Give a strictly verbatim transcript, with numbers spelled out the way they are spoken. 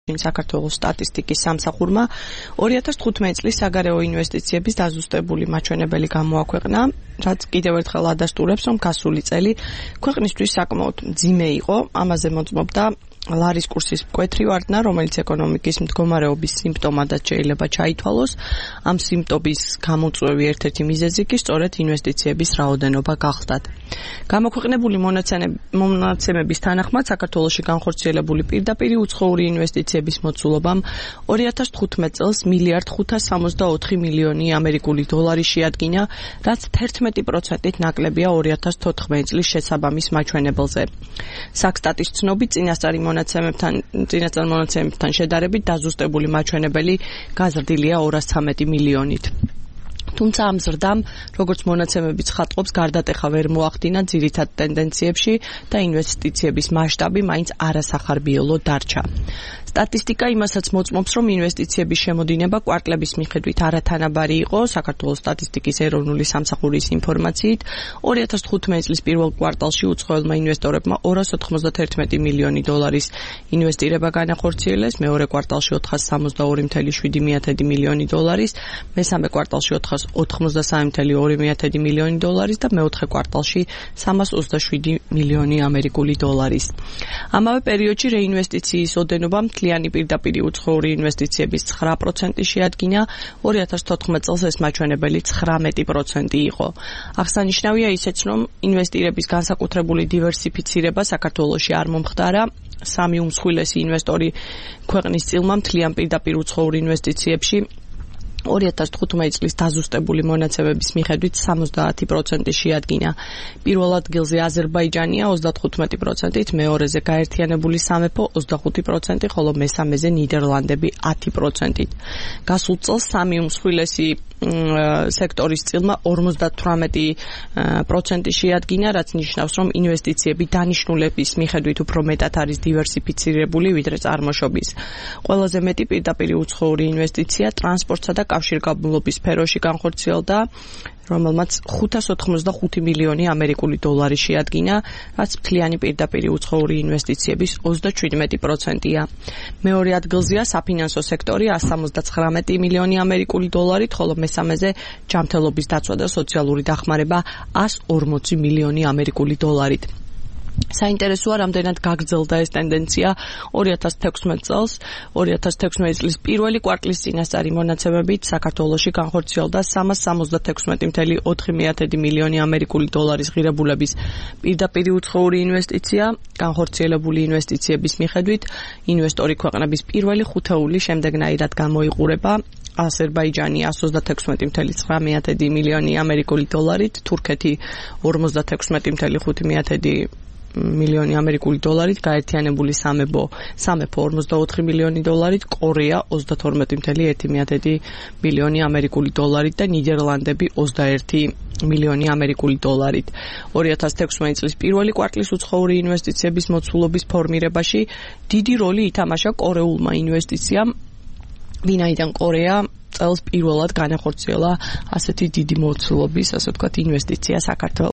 საქართველოს სტატისტიკის სამსახურმა ორი ათას თხუთმეტი წლის საგარეო ინვესტიციების დაზუსტებული მაჩვენებელი გამოაქვეყნა, რაც კიდევ ერთხელ ადასტურებს, რომ გასული წელი ქვეყნისთვის საკმაოდ მძიმე იყო. ამაზე მოწმობდა ლარის კურსის მკვეთრი ვარდნა, რომელიც ეკონომიკის მდგომარეობის სიმპტომადაც შეიძლება ჩაითვალოს. ამ სიმპტომის გამოწვევი ერთ-ერთი მიზეზი კი სწორედ ინვესტიციების რაოდენობა გახდათ. გამოქვეყნებული მონაცემების თანახმად საქართველოში განხორციელებული პირდაპირი უცხოური ინვესტიციების მოცულობამ ორი ათას თხუთმეტი წელს მილიარდ ხუთას სამოცდაოთხი მილიონი ამერიკული დოლარი შეადგინა, რაც თერთმეტი პროცენტით ნაკლებია ორი ათას თოთხმეტი წლის შესაბამის მაჩვენებელზე. საქსტატის ცნობით წინასწარი მონაცემებთან წინასწარ მონაცემებთან შედარებით დაზუსტებული მაჩვენებელი გაზრდილია ორას ცხრამეტი მილიონით. თუმცა ამ ზრდამ, როგორც მონაცემები ცხადყოფს, გარდატეხა ვერ მოახდინა ძირითად ტენდენციებში და ინვესტიციების მასშტაბი მაინც არასახარბიელო დარჩა. სტატისტიკა იმასაც მოწმობს, რომ ინვესტიციების შემოდინება კვარტლების მიხედვით არათანაბარი იყო. საქართველოს სტატისტიკის ეროვნული სამსახურის ინფორმაციით, ორი ათას თხუთმეტი წლის პირველ კვარტალში უცხოელმა ინვესტორებმა ორას ოთხმოცდათერთმეტი მილიონი დოლარის ინვესტირება განახორციელეს, მეორე კვარტალში ოთხას სამოცდაორი მცდარი მილიონი დოლარის, მესამე კვარტალში ოთხას ოთხმოცდასამი მცდარი მილიონი დოლარის და მეოთხე კვარტალში სამას ოცდაშვიდი მილიონი ამერიკული დოლარის. ამავე პერიოდში რეინვესტიციის ოდენობა მთლიანი პირდაპირი უცხოური ინვესტიციების ცხრა პროცენტი შეადგინა, ორი ათას თოთხმეტი წელს ეს მაჩვენებელი ცხრამეტი პროცენტი იყო. აღსანიშნავია ისეც, რომ ინვესტირების განსაკუთრებული დივერსიფიცირება საქართველოში არ მომხდარა. სამი უმსხვილესი ინვესტორი ქვეყნის წილმა მთლიან პირდაპირ უცხოურ ინვესტიციებში ორი ათას თხუთმეტი წლის დაზუსტებული მონაცემების მიხედვით სამოცდაათი პროცენტი შეადგინა. პირველ ადგილზე აზერბაიჯანია ოცდათხუთმეტი პროცენტით, მეორეზე გაერთიანებული სამეფო ოცდახუთი პროცენტი, ხოლო მესამეზე ნიდერლანდები ათი პროცენტით. გასულ წელს სამი უმსხვილესი სექტორის წილმა ორმოცდათვრამეტი პროცენტი შეადგინა, რაც ნიშნავს, რომ ინვესტიციები დანიშნულების მიხედვით უფრო მეტად არის დივერსიფიცირებული, ვიდრე წარმოშობის. ყველაზე მეტი პირდაპირი უცხოური ინვესტიცია ტრანსპორტსა და კავშირგაბმულობის სფეროში განხორციელდა, რომელმაც ხუთას ოთხმოცდახუთი მილიონი ამერიკული დოლარი შეადგინა, რაც მთლიანი პირდაპირი უცხოური ინვესტიციების ოცდაჩვიდმეტი პროცენტია. მეორე ადგილზეა საფინანსო სექტორი ასს სამოცდაცხრამეტი მილიონი ამერიკული დოლარით, ხოლო მესამეზე ჯანმრთელობის დაცვა და სოციალური დახმარება ასს ორმოცი მილიონი ამერიკული დოლარით. საინტერესოა, რამდენად გაგრძელდა ეს ტენდენცია ორი ათას თექვსმეტი წელს. ორი ათას თექვსმეტი წლის პირველი კვარტლის წინასწარი მონაცემებით საქართველოში განხორციელდა სამას სამოცდათექვსმეტი მცდარი ოთხი მილიონი ამერიკული დოლარის ღირებულების პირდაპირი უცხოური ინვესტიცია. განხორციელებული ინვესტიციების მიხედვით ინვესტორი ქვეყნების პირველი ხუთეული შემდეგნაირად გამოიყურება. აზერბაიჯანი ასს ოცდათექვსმეტი მცდარი ცხრამეტი მილიონი ამერიკული დოლარით, თურქეთი ორმოცდათექვსმეტი მცდარი ხუთი მილიონი ამერიკული დოლარით, გაერთიანებული სამეფო სამეფო ორმოცდაოთხი მილიონი დოლარით, კორეა ოცდათორმეტი მცდარი ერთი მილიონი ამერიკული დოლარით და ნიდერლანდები ოცდაერთი მილიონი ამერიკული დოლარით. ორი ათას თექვსმეტი წლის პირველი კვარტლის უცხოური ინვესტიციების მოცულობის ფორმირებაში დიდი როლი ითამაშა კორეულმა ინვესტიციამ, ვინაიდან კორეა წელს პირველად განახორციელა ასეთი დიდი მოცულობის, ასე ვთქვათ, ინვესტიცია საქართველოში.